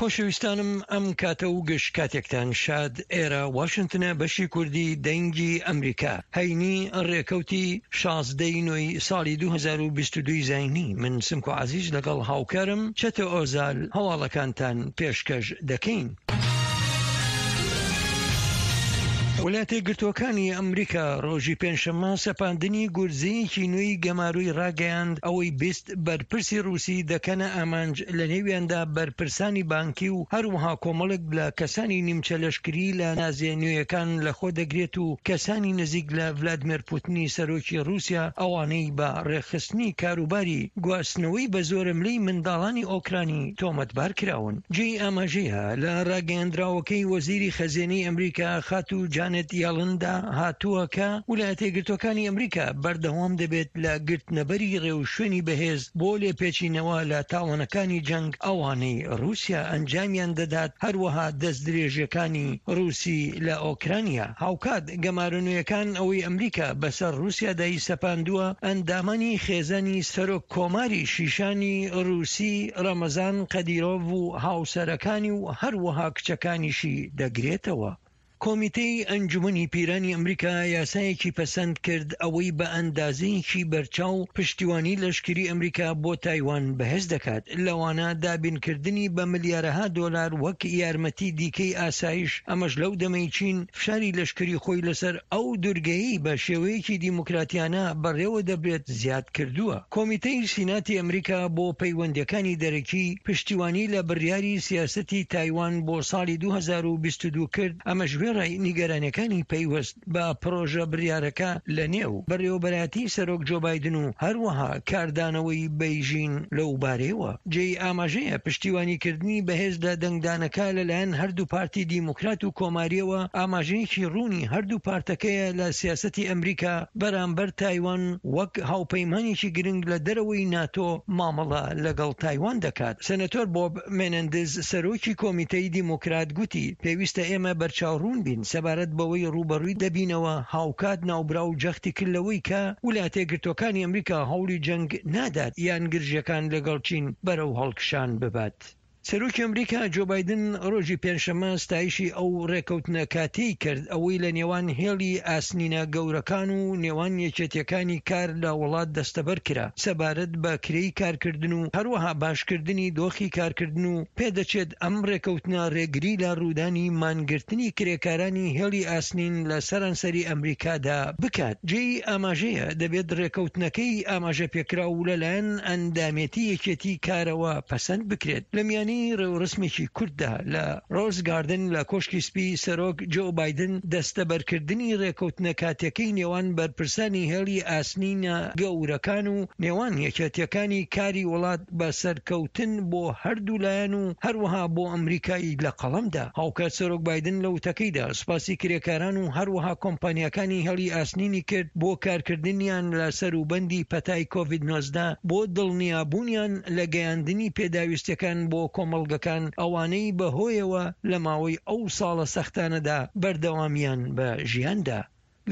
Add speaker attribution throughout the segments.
Speaker 1: خۆشەویستانم ئەم کاتە و گشت کاتێکتان شاد ئێرە واشنتنە بەشی کوردی دەنگی ئەمریکا هەینی ڕێکەوتی 16 ی نۆی ساڵی 2022 زینی من سمکۆ عەزیز لەگەڵ هاوکارم چەتۆ ئۆزال هەواڵەکانتان پێشکەش دەکەین. وڵاتە یەکگرتووەکانی ئەمریکا ڕۆژی پێنجشەممە سەپاندنی گورزەیەکی نوێی گەمارۆی ڕاگەیاند، ئەوەی 20 بەرپرسی ڕووسی دەکەنە ئامانج، لەنێویاندا بەرپرسانی بانکی و هەروەها کۆمەڵێک لە کەسانی نیمچە لەشکری لە نازیە نوێیەکان لەخۆ دەگرێت و کەسانی نزیک لە ڤلادمێر پوتنی سەرۆکی ڕووسیا، ئەوانەی بە ڕێکخستنی کاروباری گواستنەوەی بە زۆرەملێی منداڵانی ئۆکرانی تۆمەتبار کراون. جێی ئاماژەیە، لە ڕاگەیەندراوەکەی وەزیری خەزێنەی ئەمریکا خاتوو جانێت یەڵندا هاتووە کە ولایەتە یەکگرتووەکانی ئەمریکا بەردەوام دەبێت لە گرتنەبەری ڕێوشوێنی بەهێز بۆ لێپێچینەوە لە تاوانەکانی جەنگ ئەوانەی ڕووسیا ئەنجامیان دەدات هەروەها دەستدرێژیەکانی ڕووسی لە ئۆکرانیا. هاوکات گەمارۆ نوێیەکان ئەوەی ئەمریکا بەسەر ڕووسیادا سەپاندووە، ئەندامانی خێزانی سەرۆک کۆماری شیشانی ڕووسی ڕەمەزان قەدیرۆڤ و هاوسەرەکانی و هەروەها کچەکانیشی دەگرێتەوە. کۆمیتەی ئەنجومەنی پیرانی ئەمریکا یاسایەکی پەسەند کرد ئەوەی بە ئەندازەیەکی بەرچاو پشتیوانی لەشکری ئەمریکا بۆ تایوان بەهێز دەکات، لەوانە دابینکردنی بە ملیارەها دۆلار وەک یارمەتی دیکەی ئاسایش، ئەمەش لەو دەمەی چین فشاری لەشکری خۆی لەسەر ئەو دورگەیەی بە شێوەیەکی دیموکراتیانە بەڕێوە دەبرێت زیاد کردووە. کۆمیتەی سیناتی ئەمریکا بۆ پەیوەندییەکانی دەرەکی پشتیوانی لە بڕیاری سیاسەتی تایوان بۆ ساڵی 2022 کرد، ئەمەش وێڕای نیگەرانیەکانی پەیوەست بە پڕۆژە بڕیارەکە لە نێو بەڕێوەبەرایەتی سەرۆک جۆ بایدن و هەروەها کاردانەوەی بەیژین لەو بارەیەوە. جێی ئاماژەیە پشتیوانیکردنی بەهێز لە دەنگدانەکە لەلایەن هەردوو پارتی دیموکرات و کۆمارییەوە ئاماژەیەکی ڕوونی هەردوو پارتەکەیە لە سیاسەتی ئەمریکا بەرامبەر تایوان وەک هاوپەیمانێکی گرنگ لە دەرەوەی ناتۆ مامەڵە لەگەڵ تایوان دەکات. سێناتۆر بۆب مێنەندز سەرۆکی کۆمیتەی دیموکرات گوتی، پێویستە ئێمە بەرچاوڕوون بین سەبارەت بەوەی ڕووبەڕووی دەبینەوە، هاوکات ناوبراو جەختی کرد لەوەی کە ولاتەیەکگرتووەکانی ئەمریکا هەوڵی جەنگ نادات یان گرژیەکان لەگەڵ چین بەرەو هەڵکشان ببات. سەرۆکی ئەمریکا جۆ بایدن ڕۆژی پێنجشەممە ستایشی ئەو ڕێکەوتنە کاتیەی کرد ئەوەی لە نێوان هێڵی ئاسنینە گەورەکان و نێوان یەکێتیەکانی کار لە وڵات دەستەبەر کرا سەبارەت بە کرێی کارکردن و هەروەها باشکردنی دۆخی کارکردن و پێدەچێت ئەم ڕێکەوتنە ڕێگری لە ڕوودانی مانگرتنی کرێکارانی هێڵی ئاسنین لە سەرانسەری ئەمریکادا بکات. جێی ئاماژەیە دەبێت ڕێکەوتنەکەی ئاماژەپێکراو لەلایەن ئەندامێتی یەکێتی کارەوە پەسەند بکرێت. لە میانەی ڕێوڕەسمێکی کورتدا لە ڕۆز گاردن لە کۆشکی سپی، سەرۆک جۆ بایدن دەستەبەرکردنی ڕێکەوتنە کاتیەکەی نێوان بەرپرسانی هێڵی ئاسنینە گەورەکان و نێوان یەکێتیەکانی کاری وڵات بە سەرکەوتن بۆ هەردوو لایەن و هەروەها بۆ ئەمریکای لە قەڵەم دا. هاوکات سەرۆک بایدن لە وتەکەیدا سوپاسی کرێکاران و هەروەها کۆمپانیاکانی هێڵی ئاسنینی کرد بۆ کارکردنیان لە سەروبەندی پەتای کۆڤید 19 بۆ دڵنیابوونیان لە گەیاندنی پێداویستیەکان بۆ کۆمەڵگەکان ئەوانەی بەهۆیەوە لە ماوەی ئەو ساڵە سەختانەدا بەردەوامیان بە ژیان دا.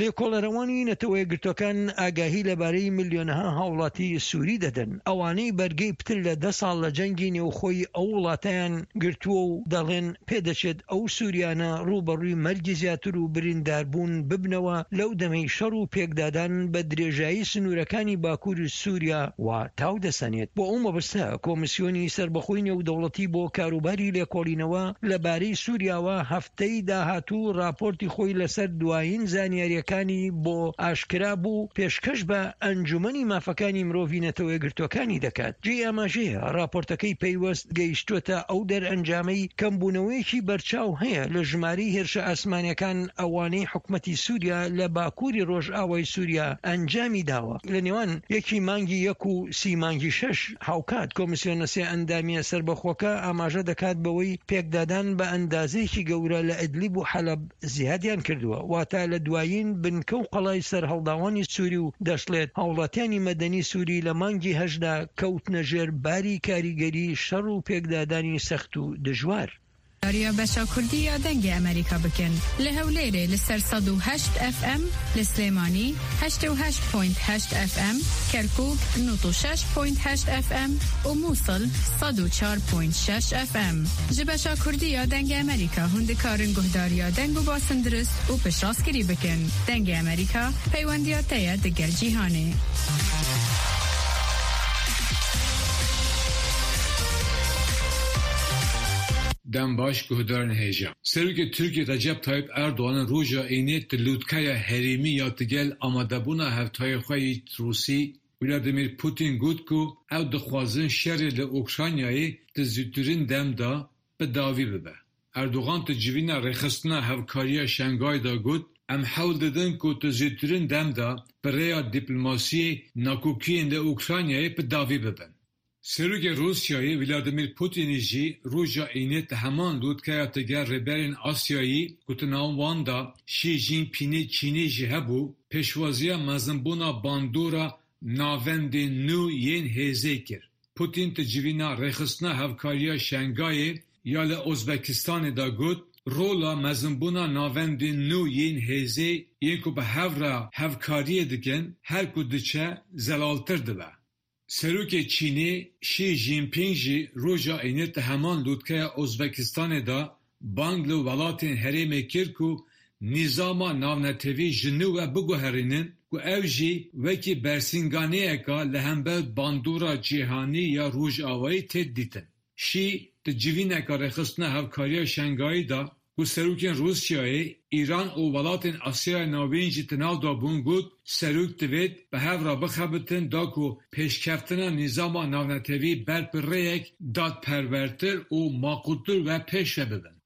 Speaker 1: لێکۆڵەرەوانی نەتەوەیەکگرتوەکان ئاگاهی لەبارەی ملیۆنەها هاوڵاتی سوری دەدەن، ئەوانەی بەرگەی پتر لە دە ساڵ لە جەنگی نێوخۆی ئەو وڵاتەیان گرتووە و دەڵێن پێدەچێت ئەو سوریانە ڕووبەڕووی مەرگی زیاتر و برینداربوون ببنەوە لەو دەمەی شەڕ و پێکدادان بە درێژایی سنوورەکانی باکووری سوریا وا تاو دەسەنێت. بۆ ئەو مەبەستە کۆمیسیۆنی سەربەخۆی نێودەوڵەتی بۆ کاروباری لێکۆڵینەوە لەبارەی سوریاوە هەفتەی داهاتوو ڕاپۆرتی خۆی لەسەر دوایین زانیارییەکانی بۆ ئاشکرا بوو پێشکەش بە ئەنجومەنی مافەکانی مرۆڤی نەتەوەیەکگرتووەکانی دەکات. جێی ئاماژەیە ڕاپۆرتەکەی پەیوەست گەیشتووەتە ئەو دەرئەنجامەی کەمبوونەوەیەکی بەرچاو هەیە لە ژمارەی هێرشە ئاسمانیەکان ئەوانەی حکومەتی سوریا لە باکووری ڕۆژئاوای سوریا ئەنجامی داوە لە نێوان یەکی مانگی یەک و سی مانگی شەش. هاوکات کۆمیسیۆنە سێ ئەندامییە سەربەخۆکە ئاماژە دەکات بەوەی پێکدادان بە ئەندازەیەکی گەورە لە ئیدلیب و حەلەب زیادیان کردووە، واتە لە دوایین بنکە و قەڵای سەرهەڵداوانی سوری و دەشڵێت هاوڵاتیانی مەدەنی سوری لە مانگی هەشتدا کەوتنە ژێر باری کاریگەری شەڕ و پێکدادانی سەخت و دژوار.
Speaker 2: گوهدارییا بەشا کوردی یا دەنگێ ئەمەریکا بکەن لە هەولێرێ لە سەر 108 ئێف ئێم، لە سلێمانی 88 پۆینت هەشت ئێف ئێم، کەرکوک 96 پۆینت هەشت ئێف ئێم و موسڵ 104 پۆینت شەش ئێف ئێم. ژ بەشا کوردی یا دەنگێ ئەمەریکا هوون دکارن گوهدارییا دەنگ و باسن درست و پشتڕاستکری بکەن. دەنگێ ئەمەریکا پەیوەندیا تەیە دگەل جیهانێ.
Speaker 3: Dem baş guhdarên hêja. Serokê Tirkiyê Recep Tayyip Erdogan roja Înê di lûtkeya herêmî ya digel amadebûna hevtayê xwe yê Rûsî Vladimir Putin got ku ew dixwazin şerê li Ukraynayê di zûtirîn dem de bi dawî bibe. Erdogan di civîna Rêxistina Hevkariya Şengayê de got, Em hewl didin ku di zûtirîn dem de bi rêya dîplomasiyê nakokiyên li Ukraynayê bi dawî bibin. Serokê Rûsyayê Vladimir Putinî jî roja Înê di heman lûtkeya digel rêberên Asyayî ku di nav wan de Xi Jinpingê Çînê jî hebû, pêşwaziya mezinbûna bandora navendên nû yên hêzê kir. Putin di civîna Rêxistina Hevkariya Şengayê ya li Ozbekistanê de got, Rola mezinbûna navendên nû yên hêzê yên ku bi hev re hevkariyê dikin her ku diçe zelaltir dibe. Serokê Çînê Xi Jinping jî roja Înê di heman lûtkeya Ozbekistanê de bang li welatên herêmê kir ku nîzama navnetewî ji nû ve biguherînin ku ew jî wekî bersînganeyeke li hember bandora cîhanî ya Rojavayê tê dîtin. Xi di civîneke Rêxistina Hevkariya Şengayî de ku serokên Rûsyayê, Îran û welatên Asyaya Navîn jî di nav de bûn got, Serok divêt bi hev re bixebitin da ku pêşkeftina nîzama navnetewî ber bi rêyek dadperwertir û maqûltir ve pêş ve bibin.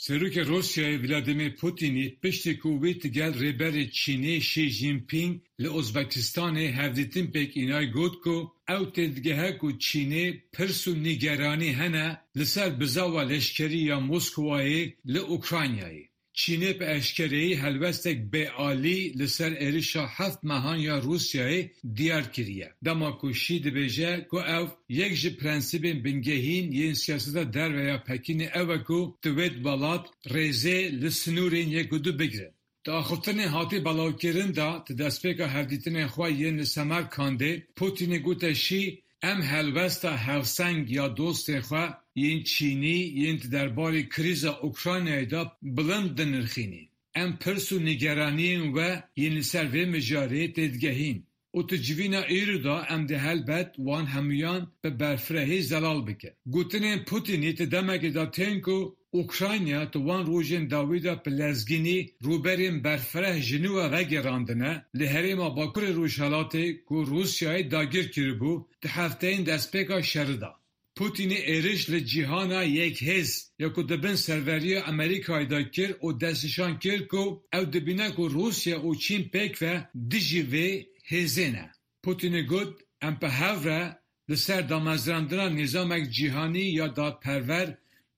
Speaker 3: Serokê Rûsyayê Vladimir Putinî piştî ku wî digel Rêberê Çînê Xi Jinping li Ozbekistanê hevdîtin pêk înay got ku ew têdigehe ku Çînê pirs û nîgeranî hene li ser bizawa leşkerî ya Moskowayê li Ukraynayê. Çînê bi eşkereyî helwestek bêalî li ser êrişa heft mehan ya Rûsyayê diyar kiriye, dema ku Xi dibêje ku ew yek ji prensîbên bingehîn yên siyaseta derve ya Pekînê ew e ku divêt welat rêzê li sinûrên yek û du bigirin. Di axiftinên hatî belavkirin de di destpêka hevdîtinên xwe yên li Semerkandê, Putînê gote Xi, Em helwesta hevseng ya dostên xwe yên Çînî yên di derbarê krîza Ukraynayê de bilind dinirxînîn. Em pirs û nîgeraniyên we yên li ser vê mijarê têdigehîn û di civîna îro de em dê helbet wan hemûyan bi berfirehî zelal bikin. Gotinên Putînî di demekê de tên ku Ukrayna di wan rojên dawî de bi lezgînî rûberên berfireh ji nû ve vegerandine li herêma Bakurê Rojhilatê ku Rûsyayê dagir kiribû di hefteyên destpêka şerî de. Putînê êriş li cîhana yekhêz ya ku di bin serveriya Amerîkayê de kir û destnîşan kir ku ew dibîne ku Rûsya û Çîn pêkve dijî vê hêzê ne. Putînê got, Em bi hev re li ser damezrandina nîzamek cîhanî ya dadperwer,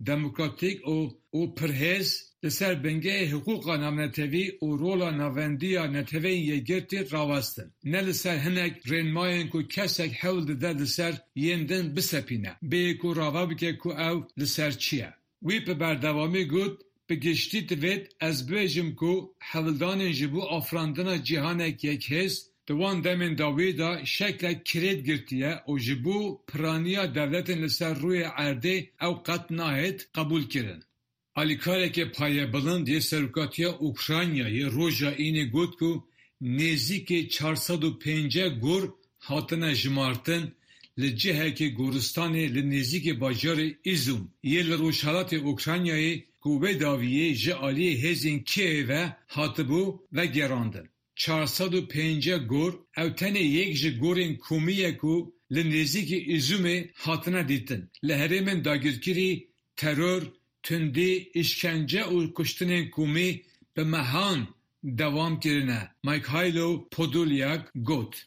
Speaker 3: demokratîk û û pirhêz li ser bingehê hiqûqa navnetewî û rola navendî ya Neteweyên Yekgirtî rawestin, ne li ser hinek rênmayên ku kesek hewl dide li ser yên din bisepîne, bêyî ku rave bike ku ew li ser çi ye. Wî bi berdewamî got, Bi giştî divêt ez bibêjim ku hewldanên ji bo afirandina cîhanek yekhêz di wan demên dawî de şeklek kirêt girtiye û ji bo piraniya dewletên li ser rûyê erdê ew qet nahêt qebûlkirin. Alîkarekê payebilind yê Serokatiya Ukraynayê roja Înê got ku nêzîkê 450 gor hatine jimartin li cihekî goristanê li nêzîkê bajarê Îzûm yê li rojhilatê Ukraynayê ku wê dawiyê ji aliyê hêzên Kîevê ve hatibû vegerandin. 450 gor ew tenê yek ji gorên komî ye ku li nêzîkî Îzûmê hatine dîtin. Li herêmên dagirkirî teror, tundî, îşkence û kuştinên komî bi mehan dewam kirine, Mykhailo Podolyak got.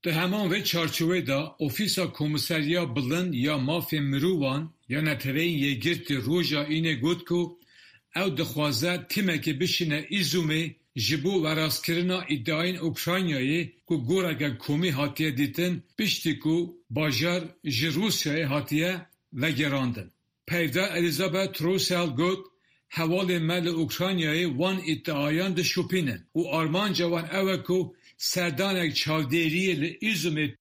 Speaker 3: Di heman vê çarçoveyê de Ofîsa Komîseriya Bilind ya Mafên Mirovan ya Neteweyên Yekgirtî roja Înê got ku ew dixwaze tîmekê bişîne Îzûmê ji bo werastkirina îdiayên Ukraynayê ku goreke komî hatiye dîtin piştî ku bajar ji Rûsyayê hatiye vegerandin. Peyvdar Elizabeth Throssell got, Hevalên me li Ukraynayê wan îdiayan dişopînin û armanca wan ew e ku serdanek çavdêriyê li Izumê.